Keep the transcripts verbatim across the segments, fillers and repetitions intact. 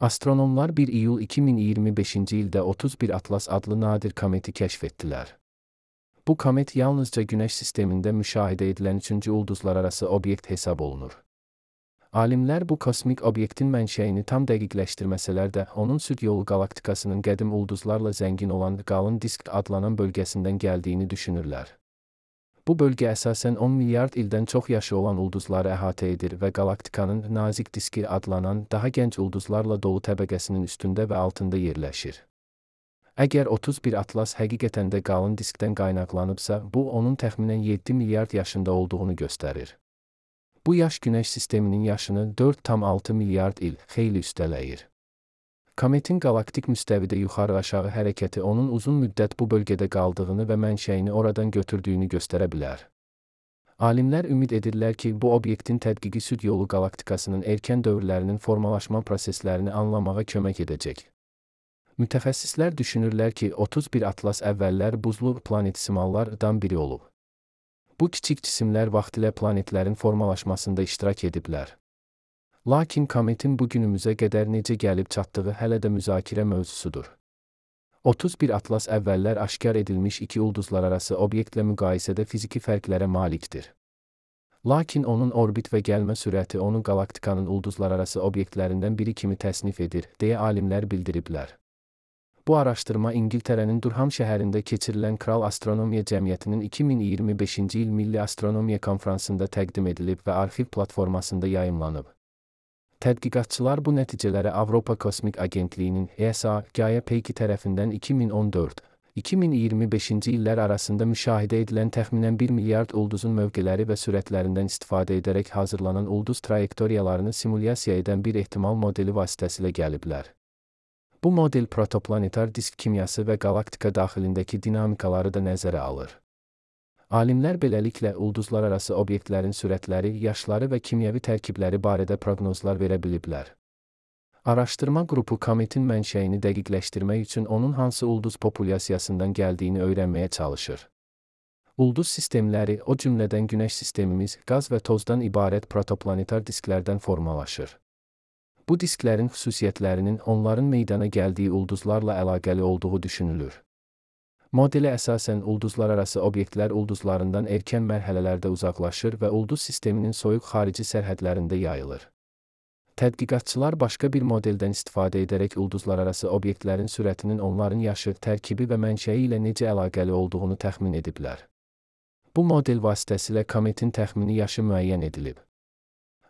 Astronomlar bir iyul iki min iyirmi beşinci ildə otuz bir Atlas adlı nadir kometi kəşf etdilər. Bu komet yalnızca Günəş sistemində müşahidə edilən üçüncü ulduzlararası obyekt hesab olunur. Alimlər bu kosmik obyektin mənşəyini tam dəqiqləşdirməsələr də, onun süd yolu qalaktikasının qədim ulduzlarla zəngin olan qalın disk adlanan bölgəsindən gəldiyini düşünürlər. Bu bölgə əsasən on milyard ildən çox yaşı olan ulduzları əhatə edir və qalaktikanın nazik diski adlanan daha gənc ulduzlarla dolu təbəqəsinin üstündə və altında yerləşir. Əgər otuz bir Atlas həqiqətən də qalın diskdən qaynaqlanıbsa, bu onun təxminən yeddi milyard yaşında olduğunu göstərir. Bu yaş Günəş sisteminin yaşını dörd tam altı milyard il xeyli üstələyir. Kometin qalaktik müstəvidə yuxarı-aşağı hərəkəti onun uzun müddət bu bölgədə qaldığını və mənşəyini oradan götürdüyünü göstərə bilər. Alimlər ümid edirlər ki, bu obyektin tədqiqi süd yolu qalaktikasının erkən dövrlərinin formalaşma proseslərini anlamağa kömək edəcək. Mütəxəssislər düşünürlər ki, otuz bir Atlas əvvəllər buzlu planetesimallardan biri olub. Bu kiçik cisimlər vaxtilə planetlərin formalaşmasında iştirak ediblər. Lakin kometin bu günümüzə qədər necə gəlib çatdığı hələ də müzakirə mövzusudur. otuz bir Atlas əvvəllər aşkar edilmiş iki ulduzlararası obyektlə müqayisədə fiziki fərqlərə malikdir. Lakin onun orbit və gəlmə sürəti onu qalaktikanın ulduzlararası obyektlərindən biri kimi təsnif edir, deyə alimlər bildiriblər. Bu araşdırma İngiltərənin Durham şəhərində keçirilən Kral Astronomiya Cəmiyyətinin iki min iyirmi beşinci il Milli Astronomiya Konfransında təqdim edilib və arxiv platformasında yayımlanıb. Tədqiqatçılar bu nəticələri Avropa Kosmik Agentliyinin E S A Gaia Peyki tərəfindən iki min on dörd iki min iyirmi beşinci illər arasında müşahidə edilən təxminən bir milyard ulduzun mövqeləri və sürətlərindən istifadə edərək hazırlanan ulduz trayektoriyalarını simulyasiya edən bir ehtimal modeli vasitəsilə gəliblər. Bu model protoplanetar disk kimyası və qalaktika daxilindəki dinamikaları da nəzərə alır. Alimlər beləliklə ulduzlararası obyektlərin sürətləri, yaşları və kimyəvi tərkibləri barədə proqnozlar verə biliblər. Araşdırma qrupu kometin mənşəyini dəqiqləşdirmək üçün onun hansı ulduz populyasiyasından gəldiyini öyrənməyə çalışır. Ulduz sistemləri, o cümlədən Günəş sistemimiz, qaz və tozdan ibarət protoplanetar disklərdən formalaşır. Bu disklərin xüsusiyyətlərinin onların meydana gəldiyi ulduzlarla əlaqəli olduğu düşünülür. Modelə əsasən ulduzlararası obyektlər ulduzlarından erkən mərhələlərdə uzaqlaşır və ulduz sisteminin soyuq xarici sərhədlərində yayılır. Tədqiqatçılar başqa bir modeldən istifadə edərək ulduzlararası obyektlərin sürətinin onların yaşı, tərkibi və mənşəyi ilə necə əlaqəli olduğunu təxmin ediblər. Bu model vasitəsilə kometin təxmini yaşı müəyyən edilib.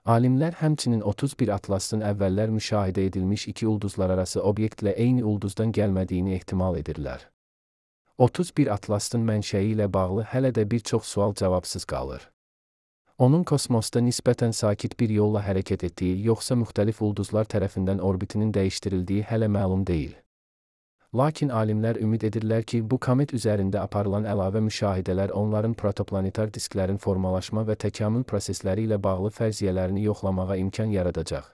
Alimlər həmçinin otuz bir Atlasın əvvəllər müşahidə edilmiş iki ulduzlararası obyektlə eyni ulduzdan gəlmədiyini ehtimal edirlər. otuz bir Atlasın mənşəyi ilə bağlı hələ də bir çox sual cavabsız qalır. Onun kosmosda nisbətən sakit bir yolla hərəkət etdiyi, yoxsa müxtəlif ulduzlar tərəfindən orbitinin dəyişdirildiyi hələ məlum deyil. Lakin alimlər ümid edirlər ki, bu komet üzərində aparılan əlavə müşahidələr onların protoplanetar disklərin formalaşma və təkamül prosesləri ilə bağlı fərziyyələrini yoxlamağa imkan yaradacaq.